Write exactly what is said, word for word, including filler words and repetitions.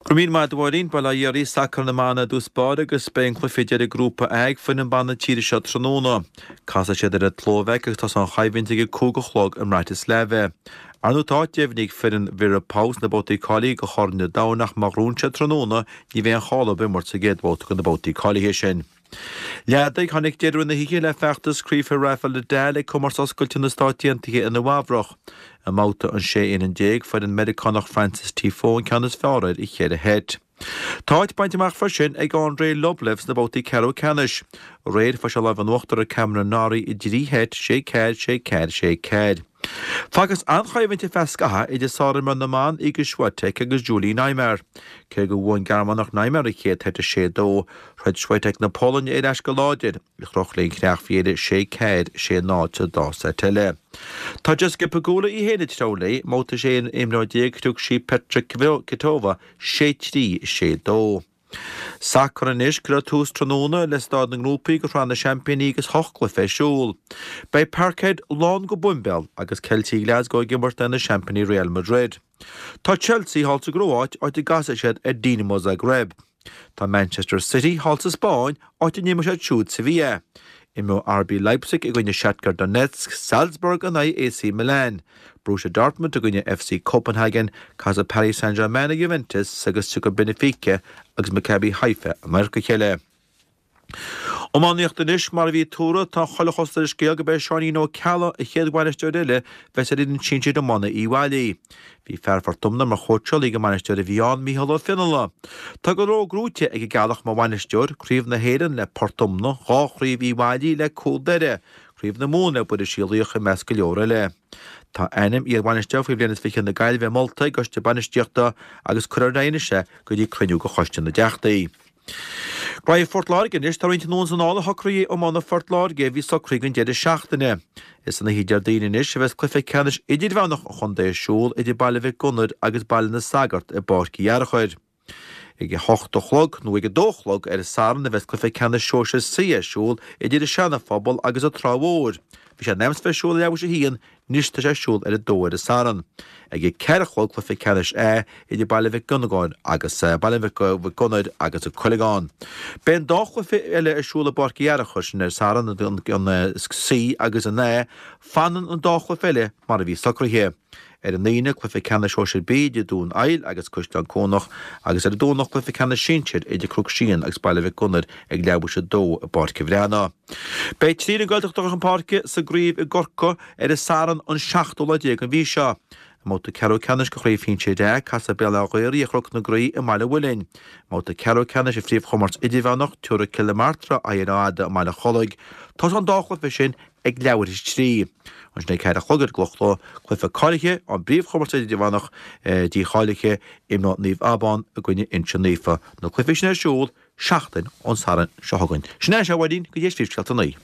Go raibh míle maith agat a Mháirín, bail ó Dhia oraibh, sacar na mban i dtús báire agus beidh an cluiche deiridh Grúpa A ag foireann ban na tíre seo tráthnóna. Casfaidh siad ar an tSlóvaic agus tosóidh an choimhlint ag a cúig a chlog i mBratislava. Ar ndóigh tá áit deimhnithe ag foireann Vera Pauw sna babhtaí cáilithe do Chorn an Domhain ach má ghnóthaíonn siad tráthnóna ní bheidh aon cháil orthu imirt sa gcéad bhabhta de na babhtaí cáilithe sin. Leadaigh, tháinig deireadh na hoíche le feachtas craoibhe Rafael Nadal ag Comórtas Oscailte na Stát Aontaithe i Nua Eabhrach. I mbabhta an sé fhoireann déag, fuair an Meiriceánach Frances Tiafoe an ceann is fearr air i cheithre sheit. Tá áit bainte amach freisin ag Andrei Rublev sna babhtaí ceathrú ceannais. Aréir fuair sé lámh in uachtar ar Cameron Norrie i dtrí sheit, sé ceathair, sé ceathair, sé ceathair. Facthas an-choimhlint ar feadh scaithimh idir sárimreoir na mban Iga Swiatek agus Julie Niemeier. Cé gur bhuaigh an Gearmánach Niemeier an chéad seit a sé dó, throid Swiatek na Polainne ar ais go láidir, í a chroch léi an chreach faoi dheireadh sé ceathair, sé náid sa dá seit eile. Tá Jessica Pegula í féin ag treabhadh léi, i mbabhta sé imreoir déag chroch sí Petra Kvitova sé trí, sé dó. Sacar anois, Cuirfear tús tráthnóna le staid na ngrúpaí do Shraith na Seaimpíní agus ocht gcluiche ar siúl. Beidh Parkhead lán go boimbéal agus Ceiltigh Glasgow ag imirt in aghaidh na seaimpíní Real Madrid. Tá Chelsea thall sa gCróit, áit a gcasfaidh siad ar Dinamo Zagreb. Tá Manchester City thall sa Spáinn, áit a n-imreoidh siad siúd Sevilla. Imreoidh RB Leipzig i gcoinne Shakhtar Donetsk, Salzburg in aghaidh AC Milan, Borussia Dortmund i gcoinne FC Copenhagen, casfaidh Paris Saint-Germain ar Juventus agus tiocfaidh Benfica agus Maccabi Haifa in adharca a chéile. Iománaíocht anois, mar a bhí tuartha, tá chuile chosúlacht ar an scéal gurb é Seáinín Ó Ceallaigh an chéad bhainisteoir eile a bheas ar fhoireann sinsir iomána Uíbh Fhailí. Bhí fear Phort Omna mar chóitseálaí ag an mbainisteoir a bhí ann, Mícheál Ó Fionnaile. Tá go leor gnóite ag an gCeallach mar bhainisteoir, Craobh na hÉireann le Port Omna, dhá chraobh Uíbh Fhailí le Cúl Doire, Craobh na Mumhan le Buiris Uí Laoich i measc go leor eile. Tá ainm iarbhainisteoir faoi bhliain is fiche na Gaillimhe molta ag an gCoiste Bainistíochta agus cuirfear ar aghaidh anois é go dtí cruinniú de Choiste na dTeachtaí. Graithe Phort Láirge anois, tá roinnt anonn is anall ar shocruithe iomána Phort Láirge a bhí socraithe don deireadh seachtaine. Is san oíche Déardaoin anois a bheas cluiche ceannais idirmheánach an chontae ar siúl idir Baile Mhic Gonair agus Baile na Sagart i bPáirc Uí Fhearchair. Ag a hocht a chlog nó ag a dó a chlog ar an Satharn a bheas cluiche ceannais sóisir C ar siúl idir an Seana-Phobal agus an Trá Mhór. Bhí sé in ainm is bheith ar siúl ar leathuair tar éis a haon, anois tá sé ar siúl ar a dó ar an Satharn. Ag a ceathair a chlog cluiche ceannais A idir Baile Mhic Dhonnagáin agus Baile Mhic Gonair agus an Coileagán. Beidh an dá chluiche eile ar siúl i bPáirc Uí Fhearchair, sin ar an Satharn, an C agus an A. Fanann an dá chluiche eile mar a bhí socraithe. Ar an Aoine, cluiche ceannais sóisir B idir Dún Aill agus Caisleán Cuanach agus ar an Domhnach cluiche ceannais sinsir idir Cnoc Síon agus Baile Mhic Gonair ag leathuair tar éis a dó i bPáirc an Bhreathnaigh. Beidh trí fhoireann Gaeltachta chun páirce sa gcraobh i gCorcaigh ar an Satharn an seachtú lá déag den mhí seo. I mbabhta ceathrú ceannais de chraobh shinsir A, casfaidh Béal Átha Ghaorthaidh ar Chnoc na Graí i mBaile an Mhuilinn. I mbabhta ceathrú ceannais an phríomhchomórtas idirmheánach, tabharfaidh Cill na Martra aghaidh ar Áth Fhada i mBaile an Chollaigh. Tosóidh an dá chluiche sin ag leathuair tar éis a trí. Ansin ag ceathair a chlog ar an gCloch cluiche cáilithe an bpríomhchomórtas idirmheánach dícháilithe, imreoidh Naomh Abán i gcoinne Inse Naofa. Na cluichí sin ar siúl seachtain ón Satharn seo chugainn. Sin é, a Mháirín, go dtí tar éis scéalta a naoi.